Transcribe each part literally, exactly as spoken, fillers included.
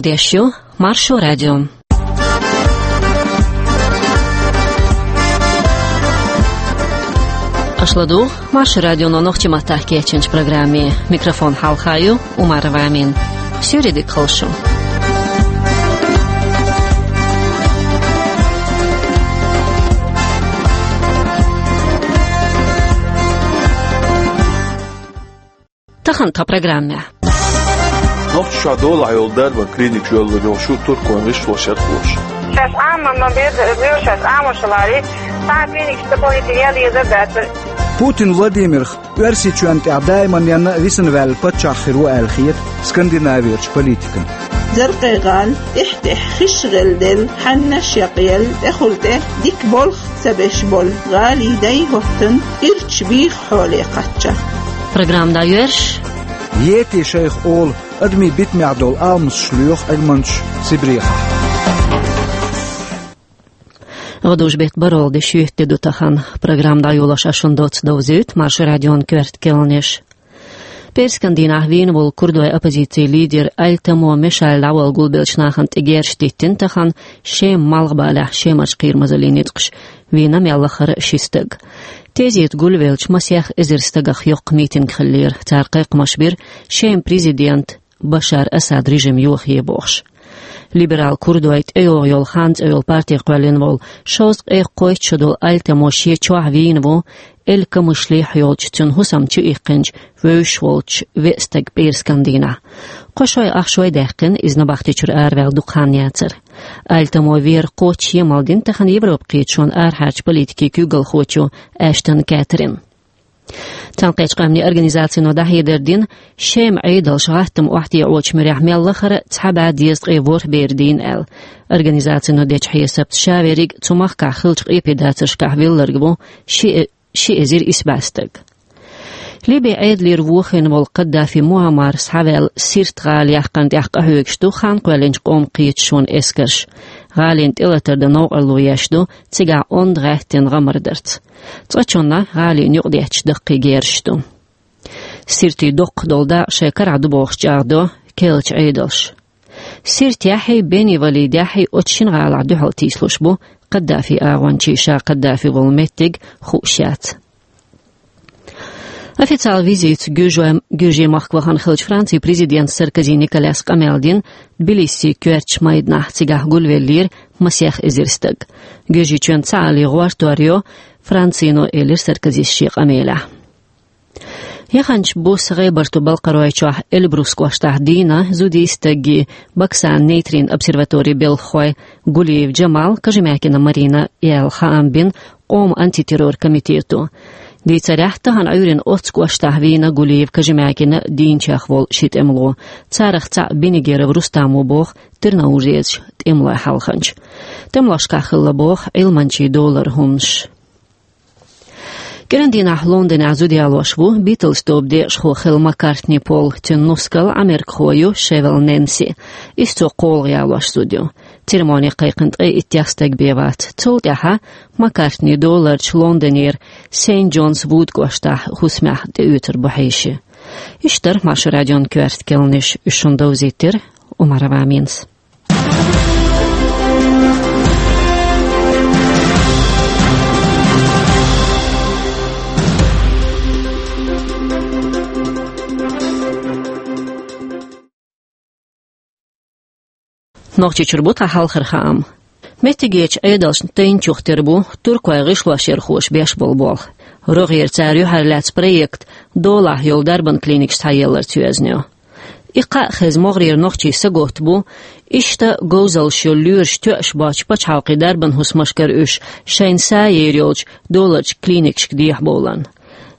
Деш ю Маршо радио. Аша ладугӀу Маршо радионо нохчийн маттахь кечйинчу программе. Микрофон хьалха ю Умарова Амина. Суьйре дика хуьлда шун. Тахана тхан программехь. Нохчийчохь долахь йолу дарбан клиникаш йоллур йолу шу туркойн гӀишлошкахь хууш. Шаьш Ӏамо ма беза, шаьш Ӏамош лаьрра, цхьа а клиникаш дополнительно яла езар а дацара. Путин Владимирх Оьрсийчоьнна тӀехь даиманна висина ваьлла паччахь хир ву аьлла хета Скандинавиерчу политикана. Заркъе-гӀала тӀехь-тӀехь хиш гӀелделла, хьаннаш якъъелла, тӀехула тӀе дика болх ца беш болу гӀалин дай хӀоттана ирча бийха хьоле кхаччалц. Программа дӀайоьрзуш. Йети шайх олу, адамийн битамехь долу алмасташ лоьху Ӏилманчаша Сибрехахь. ГӀадужу беттан бархӀалгӀа де шоьтан де ду тахана. Программа дӀайолош ас шуна доцца довзуьйту Маршо радион коьрта керланаш. Пхьарскан дийнахь вийна волу курдойн оппозицин лидер Альтамо Мешаль дӀавала гулбеллачу нахана тӀе герзаш диттина тахана Шеман малхбалехь Шемарчу кхерамазаллин ницкъаша, вийна мел лахара ши стаг. Тезета гулвеллачу масех эзар стагах йоккха митинг хиллера, цара кхайкхамаш бира Шеман президент Башар Асад режим йохае бохуш. Либерал курдойн тӀейогӀу йолу Хан цӀе йолу парти кхоьллина волу шовзткъе кхойтта шо долу Альтамо шен чохь вийна ву, Эль-Камышлихь йолчу цуьнан хӀусамна чу иккхинчу вевзаш волчу веа стага пхьарскан дийнахь. Кхо шой ах шой даьккхина, иза набахтечуьра араваьлла дукха хан яцара. Альтамо вер кхоччуш емал дина тахана Европакхеташонан арахьарчу политикин куьйгалхочо Аштон Кэтрин. Цхьаьнакхеттачу Къаьмнийн Организацино дӀахьедар дина, Шеман Ӏедалша гӀаттам охьатаӀочу муьрехь мел лахара цхьа бӀе дезткъе ворхӀ бер дийна аьлла. Организацино дечу хьесапца, ша верриг цу махкахь хиллачу къепедацаршкахь вилларг ву ши э-, ши эзар исс бӀе стаг. Либин Ӏедалера вохийна волу Каддафи Муаммар схьаваьлла Сирт гӀала яккхарна тӀехь къахьоьгуш ду хан кхоьллинчу Къоман кхеташонан эскарш. ГӀалина тӀелатар дан новкъарло еш ду цигахь онда гӀаьттина гӀамар дарца. Цкъачунна гӀалина юкъадетташ даккхий герзаш ду. Сиртин доккхах долу дакъа шайн карахь ду бохуш чӀагӀдо керлачу Ӏедалша. Сиртехьий, Бени-Валидехьий оцу шина гӀалахь дуьхьал тийсалуш бу Каддафин агӀончий, ша Каддафи волу меттиг хууш яц. Официалан визитца Гуьржой-, Гуьржийн махка вахана хиллачу Францин президента Саркози Николяс къамел дина Тбилисин коьртачу майданахь, цигахь гулвеллера масех эзар стаг. Гуьржийчоьнна ца Ӏалин гӀортор йо Францино, элира Саркозис шен къамелехь. Яханчу буса ГӀебартан-Балкхаройчохь Эльбрус кӀоштахь дийна зудий стагийн Баксан нейтрин обсерваторин белхахой Гулиев Джамал, Кожемякина Марина яьлла хаам бина Къоман антитеррор комитето. Дийцарехь, тахана Ӏуьйранна оццу кӀоштахь вийна Гулиев, Кожемякина дийначех волу ши тӀемало. Царах цхьаъ Бенигеров Рустам ву боху Тырнаузерчу тӀемалойн хьалханча. ТӀемалошкахь хилла боху Ӏилманчийн долара хӀуманаш. КӀиран дийнахь Лондонехь зуда ялош ву Битлз тобан декъашхо хилла Маккартни Пол, цуьнан нускал америкахо ю Шевел Нэнси. Иза цо кхоалгӀа ялош зуда ю. Церемони кхайкхина ткъе иттех стаг бен вац. Цул тӀаьхьа Маккартни доларчу Лондонера Сент Джонс Вуд кӀоштахь хӀусамехь тӀеоьцур бу хьеший. Иштта дара Маршо радион коьрта керланаш, уьш шуна довзийтира Умарова Аминас. Нохчийчуьра бу тхан хьалхара хаам. Меттигерчу Ӏедалшна тайна чух тера бу туркойн гӀишлошъярхоша беш болу болх. РогӀера цара юьхьарлаьцна проект долахь йолу дарбан клиникаш схьаелларца йоьзна ю. И кхаъ хезна могӀарера нохчий саготта бу, иштта говзаллаш йолу лоьраш тоьаш боцчу пачхьалкхийн дарбан хӀусамашкара уьш шайна са ер йолчу доларчу клиникашка дехьабовларна.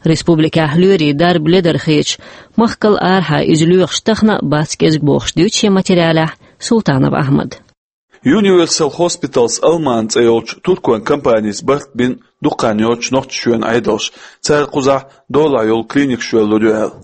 Республикехь лоьрийн дарба ледар хеташ, махкал арахьа иза лоьхуш тахана а бац кӀезиг бохуш дуьйцу шен материалехь Султанов Ахьмада. Universal Hospitals Алман цӀе йолчу туркойн компанис барт бина дукха хан йоццуш Нохчийчоьнан Ӏедалша, цара кхузахь долахь йолу клиникаш йоьллур ю аьлла.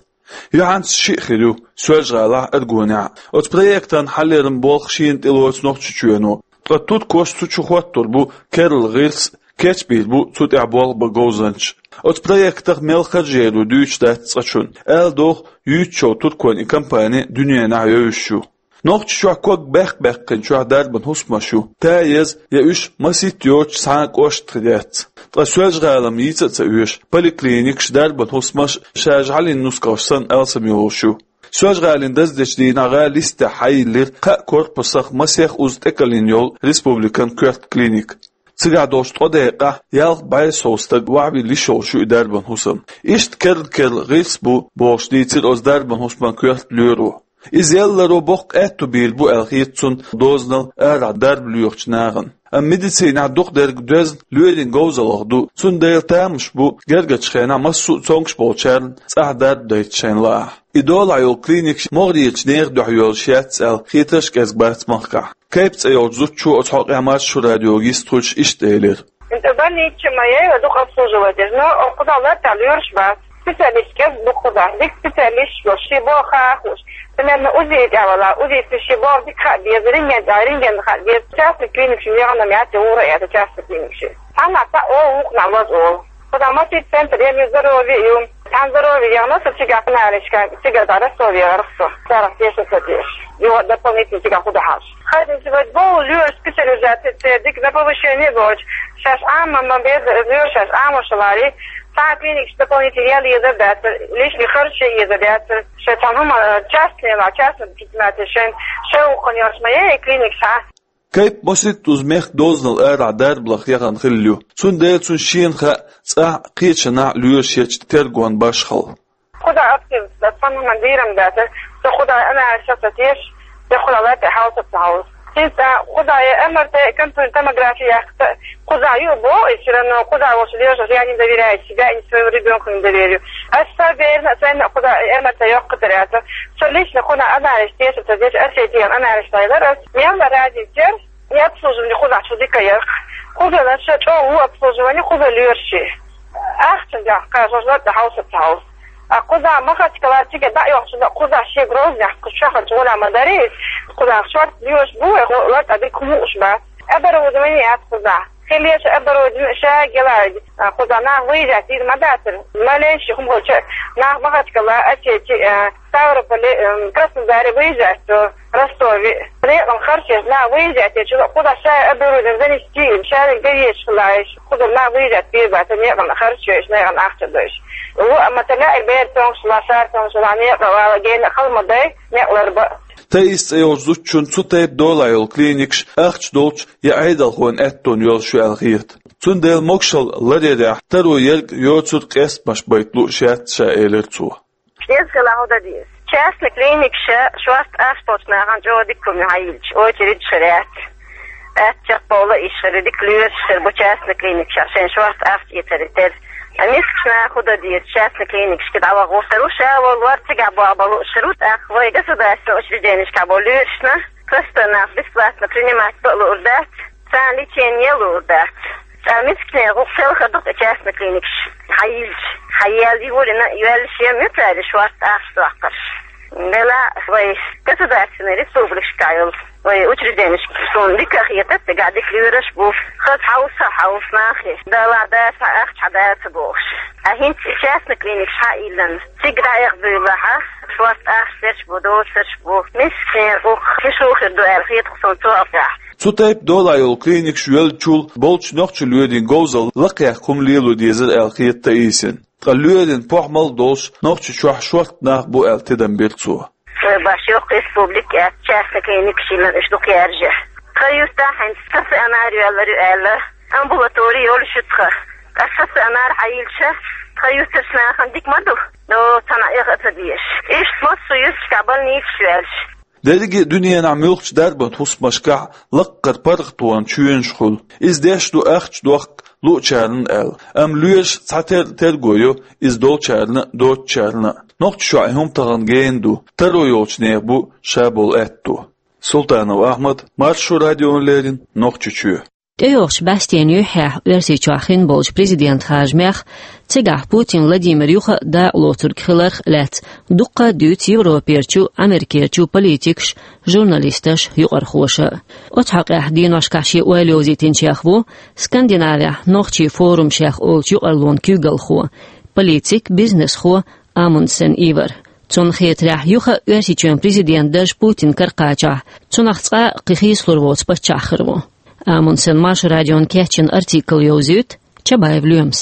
Юьхьанца шиъ хир ю Соьлжа-ГӀалахь а, Аргунехь а. Оцу проектан хьалъяран болх шена тӀелоцу Нохчийчоьно. Ткъа туркоша цу чу хӀоттур бу керла гӀирс, кечбийр бу цу тӀехь болх бан говзанчаш. Оцу проектах мел харж яр ю дуьйцуш дац цкъачунна. Аьлла догӀу, юьйцучу туркойн и компани дуьненахь евзаш ю. Нохчийчохь ког баьккха-баьккхинчохь дарбан хӀусамаш ю, та еза я уьш масийтта йоцуш цхьа а кӀошт хир яц. Ткъа Соьлжа-ГӀалина йийца а ца оьшу, поликлиникаш, дарбан хӀусамаш ша жӀаьлин нускалш санна алсам йолуш ю. Соьлжа-ГӀалина даздечу дийнахь гӀала йистехь хьайиллира кхаа корпусах масех уза тӀекаллина йолу республикан коьрта клиника. Цигахь долчу ткъа декъехь ялх бӀе сов стаг охьавилла йиш йолуш ю и дарбан хӀусам. Иштта керла-керла гӀирс бу, бохуш дийцира оцу дарбан хӀусаман коьрта лоьро. Иза яларо боккха аьтту бийр бу аьлла хета цунна дозанал арахь дарба лоьхучу нахана. Амма медицинехь дукхахдерг доьзна лоьрийн говзаллех ду, цундела тамаш бу гергарчу хенахь массо а цомгуш болчарна цӀахь дарба дайта шайна лаахь. И долахь йолу клиникаш могӀарерчу нехан дуьхьа йолуш яц аьлла хетарш кӀезиг бац махкахь. Кайп цӀе йолчу зудчо оцу хьокъехь Маршо радиога йист хуьлуш иштта элира: «ХӀинца больница ма яй, дукха обслуживать деш, но кхузахь лартахь лоьраш бац. Специалист кӀезиг бу кхузахь, дика специалисташ бу, ши боху хаа хууш. Примерно УЗИ тӀехь вала, УЗИ ши боху дика хаа беза, рентген тӀехь рентген хаа беза. Частный клиникаш яхана яц, ура яц частный клиникаш. Цхьаннахь цхьаъ олу, вукхунахь лаза олу. Кхузахь масийтта центр я, здоровье ю. Цхьана здоровье яхана со цигахь анализка, цигара дӀа Ростове гӀерта со. Царах теша ца деш. Юха дополнительно цигахь хӀун ду хьажа. Хазна ца вайта боху лоьраш специализация церан дика на повышение боцуш. Шаьш Ӏама ма беза лоьраш, шаьш Ӏамош лаьрий. Цхьа клиникаш дополнительно ял езар дацара, личный харж езар дацара. Шайн цхьана хӀума частный ла, частный предприниматель шайн, шайн вукхун йолуш ма яй клиникаш хьа». Кайп масийтта уза мехкан дозанал арахь дарбаллех яхана хилла ю. Цундела цунна шена хаьа цӀахь а, кхечанхьа а лоьраш ечу тергонан башхалла. Кхузахь актив дац, цхьана хӀуманна дийрам дац. Со кхузахь анализ ца теша, я кхузахь латта хьалса ца хьовса. ХӀинца кхузахь я МРТ, компьютерная томография яккха, кхузахь ю боху, и всё равно кхузахь волчу лоьрашка я не доверяю себя и своего ребёнка не доверю. Ас сан берна, сайна кхузахь МРТ йоккха тера яц. Со лично кхунах анализ теша ца деш, ас шайн анализ ца йилар ас. Мел ма разница яра, и обслуживание кхузахь чу дика яра. Кхуза лаша чӀогӀа ву обслуживание, кхуза лоьраш. Ахча дехка, жожагӀатта хьовса ца хьовса. А кхузахь Махачкала цига дӀа а йоккхучунна, кхузахь шен Грозный кху чохь гӀола ма дарий, кхузахь шорта лоьраш бу, лартӀа дика хӀума хууш бац. Оборудование яц кхузахь. Хила еза оборудование ша гелаьлла. А кхузахь нах выезжать дийр ма дацара. Маленьший хӀума хилча, нах Махачкала, Осетия, а, Ставрополе, эм, Краснодаре выезжать до, Ростове. Некъан харчеш нах выезжать дечу, кхузахь ша оборудование занести, ша гайеш хилаеш. Кхуза нах выезжать бийр бац, некъан харчеш, некъан ахча дойш. Ву, амма тала и бер тонгуш ла, шар тонгуш ла, некъа вала, гена хала ма дай, некъ лар ба. Таис цӀе йолчу зудчунна цу тайпа долахь йолу клиникаш ахча долчу я Ӏедалхойн аьттонна йолуш ю аьлла хета. Цундела могушалла ларъярехь таро ерг йоцург къестамаш байта лууш яц ша, элира цо. Шен хила хӀун дан деза? Частный клиникаша шорта ахча долчу нахана чӀогӀа дика хӀума хьайиллича, очередь хир яц. Атта чекхбовла иш хир, дика лоьраш хир бу частный клиникашкахь, шайн шорта ахча эцар тера. А мискачу наха хӀун дан деза, частный клиникашка дӀаваха гӀуртар ву, ша волу лор цигахь боху бан лууш хир ву, тӀаккха вай государственный учрежденешкахь болу лоьрашна простой нах бесплатно принимать бан а луур дац, царна лечение луур дац. Цара мискачу нехан гӀуллакх селха ду-кх и частный клиникаш хьайиллича, хьаяьлла йолийна а йоьллуш я муьтаьрра шорта ахча доккхурш. Делахь вай государственный республикашкахь йолу вай учрежденешка суна дика а хетара, цигахь дика лоьраш а бу, хаза хьовса а хьовса нахе, далахь дац хьан ахча, хьан дац а бохуш. Ткъа хӀинца и частный клиникаш хьа а йиллина, цига дӀаэха буьйлахь, шорта ахча дерш бу, доцурш бу, мискачу нехан гӀуллакх хи шу хир ду аьлла хета-кх суна цу хьокъехь. Цу тайпа долахь йолу клиникаш йолчул болчу нохчийн лоьрийн говзалла лакхаяккха хӀума лело дезара аьлла хета Таисина. Ткъа лоьрийн похӀмал а долуш, Нохчийчохь шорта нах бу аьлла тидам бира цо. Вай баш йоккха республика яц, частный клиникаш йиллина уьш дукха яржа. Тхан юьртахь хӀинца стационар йоьллур ю аьлла, амбулатори йолуш ю тхан. Ткъа стационар хьайиллича, тхан юьртарчу нахана дика ма ду, но цхьана а эха а ца дезаш. Иштта массо а юьрташкахь больницаш йоьллуш. Дерриге а дуьненахь муьлххачу дарбан хӀусамашкахь лаккхара паргӀатонан чоьнаш хуьлу. Иза деш ду ахча дохка луучарна аьлла, амма лоьраш цхьатерра терго йо иза долчарна а, доцучарна а. Нохчийчохь и хӀума тахана гена ду, таро йолчу нехан бу ша болу аьтто. Султанов Ахьмад, Маршо радиона леррина, Нохчийчоь. ТӀейогӀучу бӀаьстенан юьххьехь Оьрсийчохь хин болчу президент харжамех, цигахь Путин Владимир юха а дакъа лоцург хиларх а лаьцна дуккха а дуьйцу Европерчу, Америкерчу политикаша, журналисташа, юкъархоша. Оцу хьокъехь деношкахь шен ойла йовзийтинчех ву Скандинавехь нохчийн форумашех олучу юкъарлонан куьйгалхо, политик, бизнесхо Амундсен Ивар. Цунна хетарехь, юха а Оьрсийчоьнан президент дарж Путина кара кхачахь, цунах цкъа а кхин хийцалур воцу паччахь хир ву. Амундсена Маршо радиона кечйина артикл йовзуьйту Чабаев Лоьмас.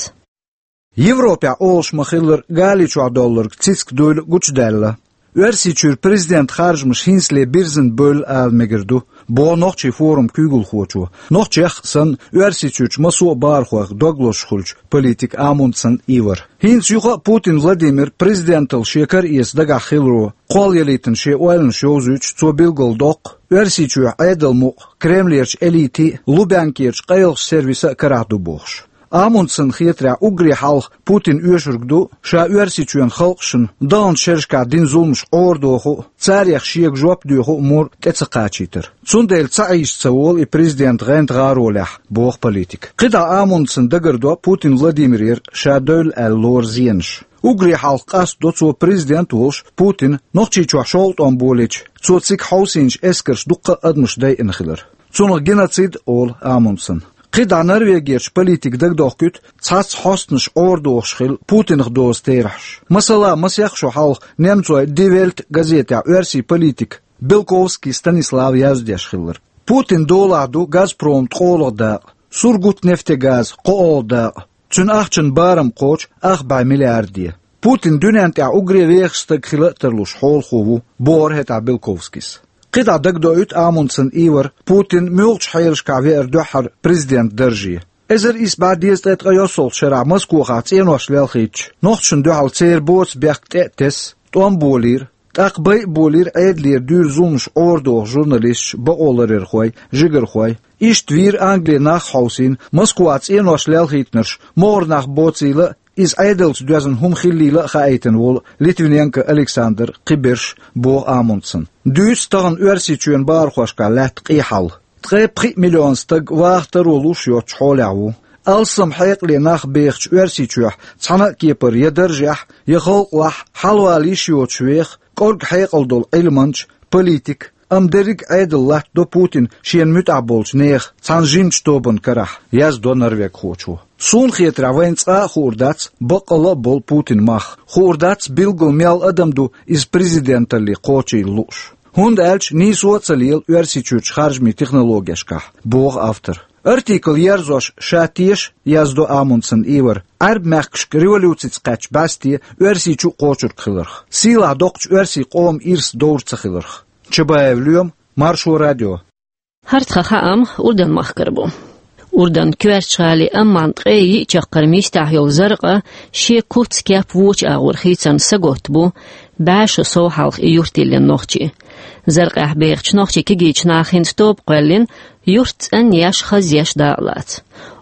Европехь олуш ма-хиллара, Гали чохь доллург цициг дуйла гучудаьлла. Оьрсийчуьра президент харжамаш хӀинцале бирзина бевлла ала мегар ду, боху нохчийн форуман куьйгалхочо, нохчех а санна, Оьрсийчуьрчу массо а бахархойх дог лозуш хуьлучу политика Амундсен Ивар. ХӀинца юха а Путин Владимир президенталла шен кара эца дагахь хиларо кхоллаялийтина шен ойланаш йовзуьйтуш, цо билгалдоккху, Оьрсийчоьнан Ӏедалан мукъ Кремлерчу элитин а, Лубянкерчу къайлахчу сервисан а карахь ду бохуш. Амундсенна хетарехь, уггаре хьалха Путина оьшург ду ша Оьрсийчоьнан халкъашна даханчу шерашкахь дина зуламаш Ӏорадоху а, царех шега жоп доьху а мур тӀе ца кхачийтар. Цундела ца Ӏийша ца волу и президент гӀанта гӀаролехь, боху политика. КхидӀа Амундсенна дагардо Путин Владимирера ша девлла аьлла лору зенаш. Уггаре хьалха къастадо цо президент а волуш Путина Нохчийчохь шовкъ тӀом болийча, цо цига хьовсийначу эскарша дуккха а адамаш дайина хилар. Цунах геноцид а олу Амундсенна. КхидӀа Норвегерчу политика дагадохкуьйту цхьацца хьостанаш Ӏорадохуш хилла Путинах дозу терахьаш. Масала, масех шо хьалха немцойн Die Welt газетехь оьрсийн политика Белковский Станислав яздеш хилларг. Путинан долахь ду Газпроман ткъолгӀа дакъа, Сургутнефтегаз кхоалгӀа дакъа, цуьнан ахчанан барам кхочу ах бӀе миллиарде. Путин дуьнен тӀехь уггаре вехаш стаг хила а тарлуш хьолахо ву, бохура хӀетахь Белковскийс. КхидӀа дагадоуьйту Амундсен Ивара Путин муьлхачу хьелашкахь веара дуьххьара президент дарже. Эзар исс бӀе дезткъе ткъе йоьссалгӀачу шарахь Москохахь цӀенош лелхийтича, нохчашна дуьхьал церан боцу бехк тӀе а тесна, тӀом болийра, тӀаккха байъа болийра Ӏедалера дуьйр зуламаш Ӏорадоху журналисташ, бакъоларъярхой, жигархой. Иштта вийра Англин нах а хьовсийна, Москвахь цӀенош лелхийтинарш могӀара нах боцийла а, иза Ӏедалца доьзна хӀума хиллийла а хаийтина волу Литвиненко Александр, кхиберш, боху Амундсенна. Дуьйцу тахана Оьрсийчоьнан бахархошкахь лаьтта къен хьал. Ткъе пхиъ миллион стаг ваха таро луш йоцучу хьолехь ву. Алссам хьекъале нах бехачу Оьрсийчохь цхьана а кепара я даржехь, я халкъалахь хьалавала йиш йоцуш веха кӀорга хьекъал долу Ӏилманча, политик, амма дерриг а Ӏедал латтадо Путина шена муьтӀахь болчу нехан цхьана жимачу тобанан карахь, яздо норвегхочо. Суна хетарехь, вайна цкъа а хуур дац баккъалла а болу Путинан мах. Хуур дац, билггал мел адам ду иза президенталле кхочийла лууш. ХӀунда аьлча нийсо а ца лела Оьрсийчуьрчу харжамийн технологешкахь, боху автора. Артикл ерзош ша теша, яздо Амундсен Ивара, Ӏаьрбийн мехкашка революцица кхаьчча бӀаьсте Оьрсийчу а кхочург хиларх, сийлахь доккхачу оьрсийн къоман ирс довр ца хиларх. Чабаев Лоьма, Маршо радио. ХӀара тхан хаам Урдан-махкара бу. Урдан коьртачу гӀали Амман ткъе йиъ чаккхарма йистехь йолу Заркъа шен куц-кеп вочу агӀор хийцарна саготта бу бӀе шо сов хьалха и юрт йиллина нохчий. Заркъехь бехачу нохчийн кегийчу наха хӀинца тоба кхоьллина, юрт цӀанъеш, хазъеш дакъалаца.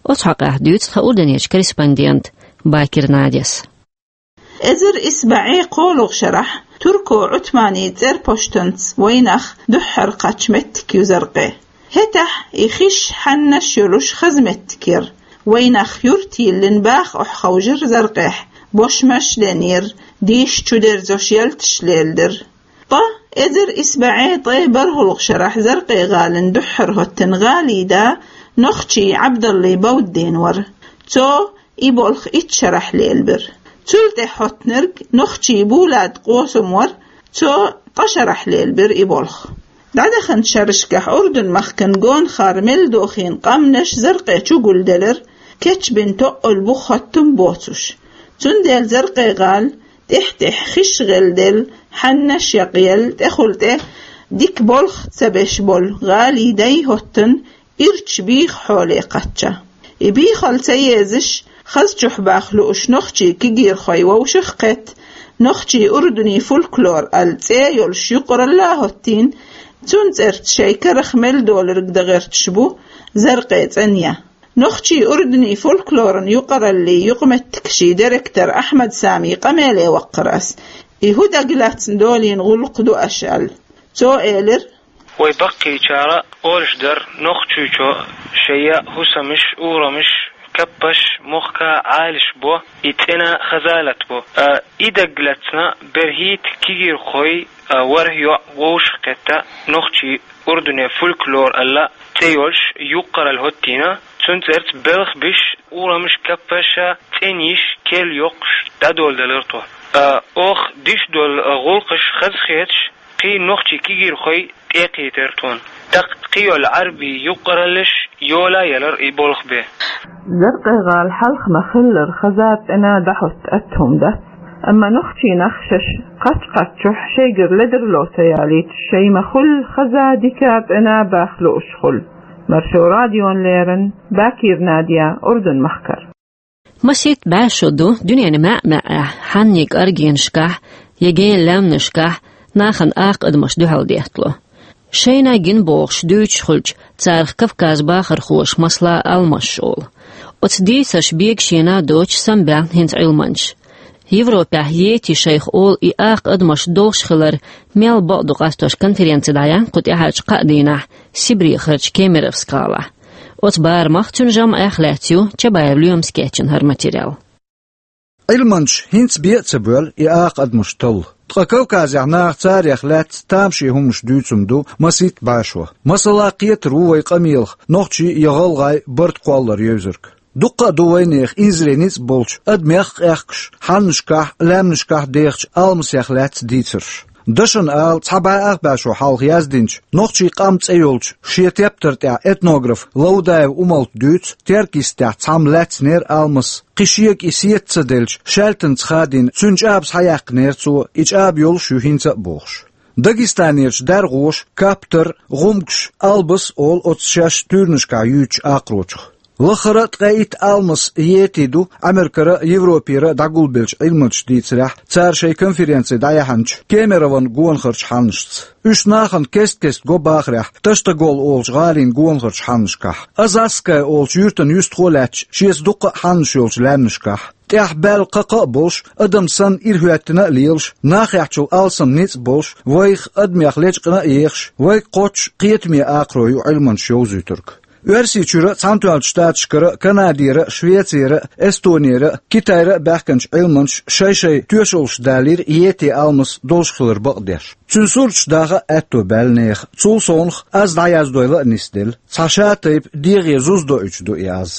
Оцу хьокъехь дуьйцу тхан Урданерчу корреспондента Бакир Надяс. Эзар исс бӀе кхоалгӀа шарахь турко Ӏутманийн цӀерпоштанца вайнах дуьххьара кхаьчна меттиг ю Заркъе. ХӀетахь и хиш, хьаннаш йолуш хаза меттиг яра. Вайнах юрт йиллина баха охьаховшира Заркъехь, бошмаш а денйира, дийша чудерзош ялташ леладира. Ткъа эзар исс бӀе ткъе бархӀалгӀа шарахь Заркъе гӀалина дуьххьара хӀоттина гӀалин да нохчи Ӏабдаллин Бауддин вара. Цо и болх итт шарахь лелабира. Цул тӀаьхьа хӀоттинарг нохчи Булат Къосам вара, цо ткъа шарахь лелабира и болх. ДӀадаханчу шерашкахь Урдан-махкан гонахара мел дохийна къаьмнаш Заркъе чу гулделира, кечбина тоъал буха хӀоттам боцуш. Цундела Заркъе гӀала тӀаьхь-тӀаьхьа хиш гӀелделла, хьаннаш якъъелла, тӀехула тӀе дика болх ца беш болу гӀалин дай хӀоттина ирча бийха хьоле кхаьчча. И бийхалла ца езаш, хаза чохь баха лууш нохчи кегийрхой вовшах а кхетта, нохчи урдунийн фольклор аьлла цӀе йолуш юкъаралла а хӀоттийна, цунна цӀерца шайн карах мел долург дан гӀерташ бу Заркъе цӀанъян. Нохчи урдунийн фольклоран юкъараллин юкъаметтигашин директор Ахьмад Самин къамеле ваккхара ас. И хӀун дагалаьцна долийна гӀуллакх ду аша аьлла. Цо элира: Вай баккхийчара олуш дара, нохчийчо шайн хӀусамаш, урамаш, каппаш мохк а Ӏалашбо, и цӀена хаза латабо. А, и дагалаьцна берхӀитта кегийрхой, а, ворхӀ йоӀ вовшах а кхетта, нохчи урдунийн фольклор аьлла цӀе йолуш юкъаралла хӀоттийна, цунна цӀерца белхаш беш, урамаш, каппаш а, цӀений кел йоккхуш дӀадоладелира тхо. А, оха диш долу гӀуллакхаш хазахеташ, кхин нохчий кегийрхой тӀекхийтира тхуна. ТӀаккха кхин йолу Ӏарбий юккъараллаш йола а елара и болх бен. Заркъе-гӀала хьалха ма-хиллара хаза цӀена дӀахӀотта атта хӀума дац. Амма нохчий нах шаьш кхаччахьчохь шайгара ледарло ца ялийта, шайн ма-хулла хаза дика цӀена баха лууш хуьлу. Маршо радиона леррина Бакир Надя, Урдун-махкара. Масийтта бӀе шо ду дуьненан маьӀ-маьӀӀехь хьаннийн кӀоргенашкахь я генан лаьмнашкахь нахана акха адамаш дуьхьал деттало. Шайна гина бохуш дуьйцуш хуьлча, царах Кавказан бахархоша масала алмасаш олу. Оцу дийцарш бегашийна доцуш самабаьхна хӀинца Ӏилманчаш. Европехь йети шайх олу и акха адамаш долуш хилар мел бакъ ду къастош конференци дӀаяьхьна кху тӀаьхьарчу кхаа дийнахь Сибрехарчу Кемеровск гӀалахь. Оцу барамах, цуьнан жамӀех лаьцна ю Чабаев Лоьмас кечйина хӀара материал. Ӏилманчаш хӀинца бен а ца боьллу и акха адамаш талла. Ткъа Кавказехь наха царех лаьцна тамашийна хӀуманаш дуьйцуш ду масийтта бӀе шо. Масала, кхетар ву вайн къамелах нохчий я гӀалгӀай барт кхоллар евзарг. Дуккха а ду вайнехан инзаре ницкъ болчу адамех къехкаш, хьаннашкахь, лаьмнашкахь дехачу алмасех лаьцна дийцарш. Дашна ала, цхьа бӀе ах бӀе шо хьалха яздинчу «Нохчийн къам» цӀе йолчу шен тептар тӀехь этнограф Лаудаев Умалта дуьйцу, Теркйистехь цхьамма лаьцнера алмас, кхин шега и сета ца делча, шаьлтанца хадийна, цуьнан чӀаба схьаяьккхинера цо, и чӀаба йолуш ю хӀинца а бохуш. Дагестанерчу даргӀоша каптар, гӀумгаш, албас олу оцу шаьш туьйранашкахь юьйцучу акхарочух. Лахара а ткъе итт алмас йети ду Ӏамеркара а, Европера а дӀагулбеллачу Ӏилманчаша дийцарехь, цара шайн конференци дӀаяьхьначу Кемерован гонахарчу хьаннашца. Уьш нахана кест-кеста го бахарехь, Таштагол олучу гӀалин гонахарчу хьаннашкахь, Азазская олучу юьртана юьстахо а лаьтташ, шеца дуккха а хьаннаш йолчу лаьмнашкахь. ТӀехь баьлла кхакха а болуш, адам санна ирахӀоьттина а лелаш, нахехьчул алсам ницкъ болуш, вайх адамех лечкъина а ехаш, вайга кхоччуш кхетаме акхаро ю Ӏилманчаш йовзуьйтург. Оьрсийчуьра а, Цхьаьнатоьхначу Штаташкара а, Канадера а, Швецера а, Эстонера а, Китайра а баьхкинчу Ӏилманчаша шай-шайн тоьшаллаш далийра йети алмас долуш хилар бакъдеш. Цуьнан сурташ даха а аьтто баьлла нехан. Цул совнаха аз дӀаяздойла а нисделла. Цхьа шатайпа дегӀе зуза доуьйтуш ду и аз.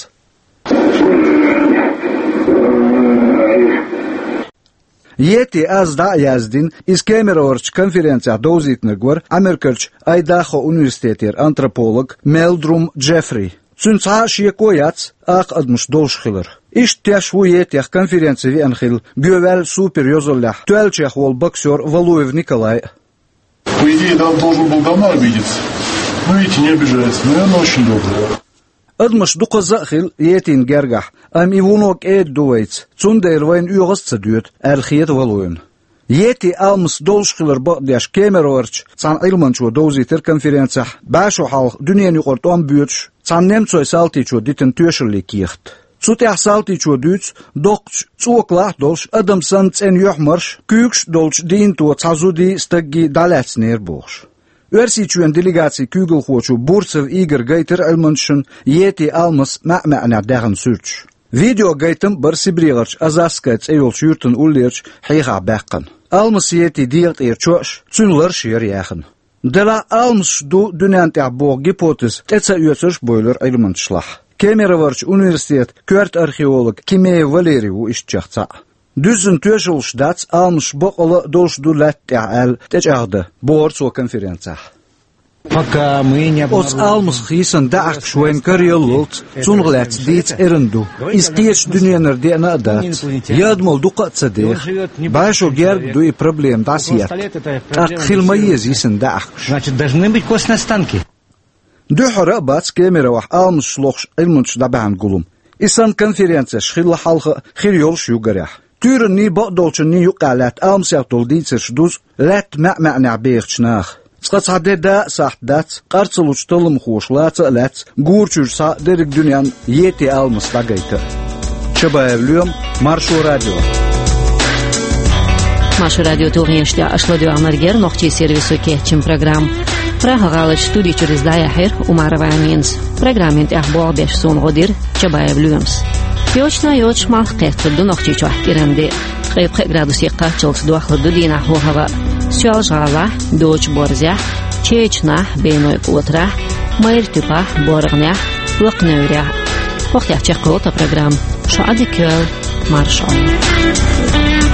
Йети аз дӀа а яздина, иза Кемероварчу конференцехь довзийтинарг вара Америкарчу Айдахо университетера антрополог Мелдрум Джеффри. Цуьнан цхьа а шеко яц акха адамаш долуш хилар. Иштта теш ву йетех конференци веана хилла, гоьваьлла супер йозаллехь, тоьллачех волу боксёр Валуев Николай а. По идее, да, он должен был давно обидеться. Ну, видите, не обижается. Наверное, очень добрый. Адамаш дукхазза а хилла йетийн гергахь, амма и вуно кӀеда ду вайца, цундела вайна оьгӀаз а ца доьду, аьлла хета Валуевна. Йети алмас долуш хилар бакъдеш Кемероварчу цхьана Ӏилманчо довзийтира конференцехь бӀе шо хьалха дуьненаюкъара тӀом боьдуш, цхьана немцойн салтичо дитина тоьшаллин кехат. Цу тӀехь салтичо дуьйцу доккхачу цӀокалахь а долуш, адам санна цӀена юьхьмарш, куьйгаш а долчу дийнато цхьа зудий, стаггий дӀалаьцнера бохуш. Оьрсийчоьнан делегацин куьйгалхочо Бурцев Игорь гайтира Ӏилманчашна йети алмас маьӀ-маьӀнехь даьхна суьрташ. Видеогайтам а бара СибрегӀарчу Азазская цӀе йолчу юьртана уллерачу хьехахь баьккхина. Алмас йети дегӀа тӀера чоаш, цуьнан ларш яра яьхна. Делахь а алмасаш ду дуьнен тӀехь боху гипотез тӀе ца оьцурш а бевлира Ӏилманчашлахь. Кемероварчу университетан коьрта археолог Кимеев Валерий ву ишттачех цхьаъ. Дуьззина тоьшаллаш дац, алмасаш бакъалла а долуш ду лаьтта тӀехь аьлла тӀечӀагӀдан, бохура цо конференцехь. Пока мы не обнаружим. Оцу алмасах йисина даьӀахкаш вайна караяллалц, цунах лаьцна дийца эрна ду. Иза кхечу дуьненара деана а дац. Я адамалла дукха а ца деха. БӀе шо герга ду и проблема дӀасаетта. ТӀаккха хила ма еза йисина даьӀахкаш. Значит, должны быть костные останки. Дуьххьара а бац Кемеровехь алмасаш лохуш Ӏилманчаш дӀабаьхьна гулам. И санна конференцеш хилла хьалха а, хир йолуш а ю гарехь. Туьйранний, бакъдолчунний юккъехь лаьтта алмасех долу дийцарш дузу лаьтта маьӀ-маьӀнехь бехачу наха. Цкъа цхьа де да а сахьт дац, къар ца лучу талламхоша лаца а лаьцна, гура чуьра схьа дерриг дуьненна йети алмас дӀагайта. Чабаев Лоьма, Маршо радио. Маршо радион тулгӀенаш тӀехь аша ладоьгӀнарг яра нохчийн сервисо кечйина программа. ПрахӀа-гӀаларчу студи чуьра иза дӀаяьхьира Умарова Аминас. Программин тӀехь болх беш суна гӀо дира Чабаев Лоьмас. Йочана йоцуш малх кхеттар ду Нохчийчохь кӀиран де. Ткъе пхи градусе кхаччалц дохлур ду дийнахь хӀаваъ. Соьлжа-ГӀалахь, Дочу-Борзехь, Чечанахь, Бейной-КӀотарахь, Майра-Туьпахь, БоргӀанехь, Лакха-Неврехь. ХӀокху тӀехь чекхйолу тхан программа. Шун Ӏадика йойла, марша Ӏойла.